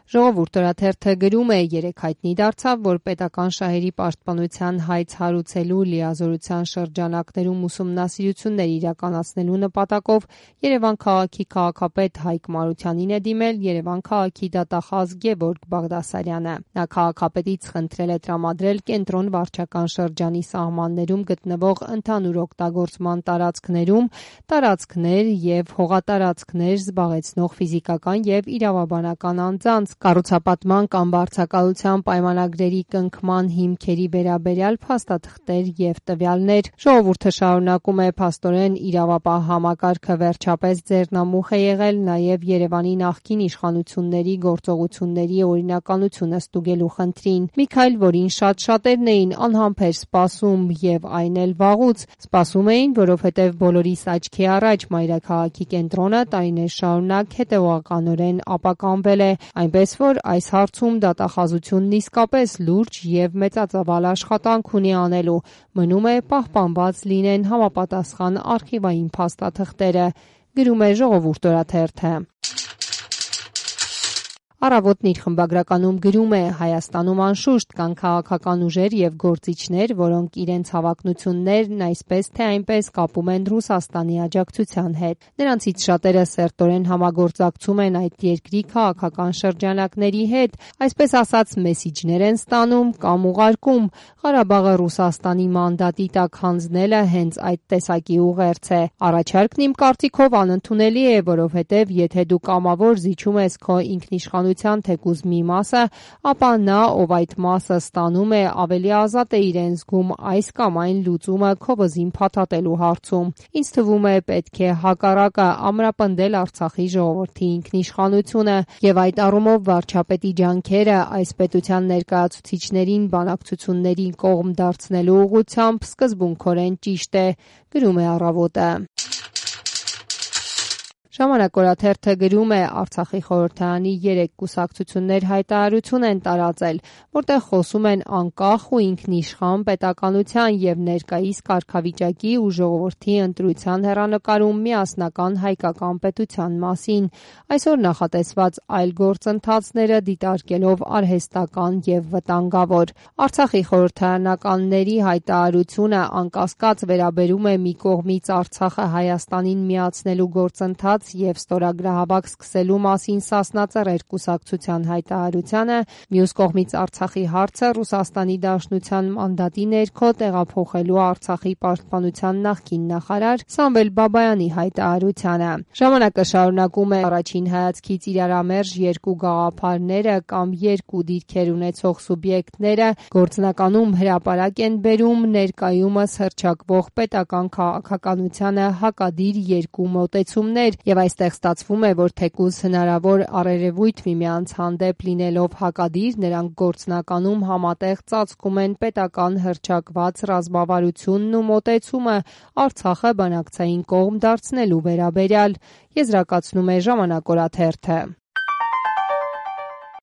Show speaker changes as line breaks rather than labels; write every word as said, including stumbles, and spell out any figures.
Ժողովուրդ օրաթերթը գրում է, երեկ հայտնի դարձավ, որ պետական շահերի պաշտպանության հայց հարուցելու լիազորության շրջանակներում ուսումնասիրություններ իրականացնելու նպատակով Երևան քաղաքի քաղաքապետ Հայկ Մարությանին է դիմել Երևան քաղաքի դատախազ Գևորգ Բաղդասարյանը։ Նա քաղաքապետից խնդրել է տրամադրել կենտրոն վարչական շրջանի սահմաններում գտնվող ընդհանուր օգտագործման տարածքներում տարածքներ և հողատարածքներ զբաղեցնող ֆիզիկական և իրավաբանական անձանց կառուցապատման կամ վարձակալության պայմանագրերի կնքման հիմքերի վերաբերյալ փաստաթղթեր և տվյալներ։ Ժողովուրդը շարունակում է փաստորեն իրավապահ համակարգը վերջապես ձեռնամուխ է եղել նաև Երևանի նախկին իշխանությունների գործողությունների օրինականությունը ստուգելու խնդրին։ Մի քայլ, որին շատ շատերն էին անհամբեր սպասում և այն էլ վաղուց։ Սպասում էին, որովհետև բոլորիս աչքի առաջ մայրաքաղաքի կենտրոնը տարիներ շարունակ հետևողականորեն ապականվել է, այնպես որ այս հարցում դատախազությունն իսկապես լուրջ և մեծածավալ աշխատանք ունի անելու։ Մնում է պահպանված լինեն համապատասխան արխիվային փաստաթղթերը, գրում է Ժողովուրդ օրաթերթը։ Առավոտն իր խմբագրականում գրում է. Հայաստանում անշուշտ կան քաղաքական ուժեր և գործիչներ, որոնք իրենց հավակնություններն այսպես թե այնպես կապում են Ռուսաստանի աջակցության հետ։ Նրանցից շատերը սերտորեն համագործակցում են այդ երկրի քաղաքական շրջանակների հետ, այսպես ասած մեսիջներ են ստանում կամ ուղարկում։ Ղարաբաղը Ռուսաստանի մանդատի տակ հանձնելը հենց այդ տեսակի ուղերձ է։ Առաջարկն իմ կարծիքով անընդունելի է, որովհետև եթե դու կամավոր զիջում ես քո ինքնիշխանության թեկուզ մի մասը, ապա նա, ով այդ մասը ստանում է, ավելի ազատ է իրեն զգում այս կամ այն լուծումը քո վզին փաթաթելու հարցում։ Ինձ թվում է պետք է հակառակը ամրապնդել Արցախի ժողովրդի ինքնիշխանությունը և այդ առումով վարչապետի ջանքերը այս պետության ներկայացուցիչներին բանակցությունների կողմ դարձնելու ուղղությամբ սկզբունքորեն ճիշտ է, գրում է Առավոտը։ Ժամանակ օրաթերթը գրում է. Արցախի խորհրդարանի երեք կուսակցություններ հայտարարություն են տարածել, որտեղ խոսում են անկախ ու ինքնիշխան պետականության և ներկայիս կարգավիճակի ու ժողովրդի ընտրության հեռանկարում միասնական հայկական պետության մասին, այսօր նախատեսված այլ գործընթացները դիտարկելով արհեստական և վտանգավոր։ Արցախի խորհրդարանականների հայտարարությունը անկասկած վերաբերում է մի կողմից Արցախը Հայաստանին միացնելու գործընթաց և ստորագրահավաք սկսելու մասին Սասնածռեր կուսակցության հայտարարությանը, մյուս կողմից Արցախի հարցը Ռուսաստանի Դաշնության մանդատի ներքո տեղափոխելու Արցախի պաշտպանության նախկին նախարար Սամվել Բաբայանի հայտարարությանը։ Ժամանակը շարունակում է. առաջին հայացքից իրարամերժ երկու գաղափարները կամ երկու դիրքեր ունեցող սուբյեկտները գործնականում հրապարակ են բերում ներկայումս հռչակվող պետական քաղաքականությանը հակադիր երկու մոտեցումներ, և այստեղ ստացվում է, որ թեկուզ հնարավոր առերևույթ միմյանց հանդեպ լինելով հակադիր, նրանք գործնականում համատեղ ծածկում են պետական հռչակված ռազմավարությունն ու մոտեցումը Արցախը բանակցային կողմ դարձնելու վերաբերյալ, եզրակացնում է Ժամանակ օրաթերթը։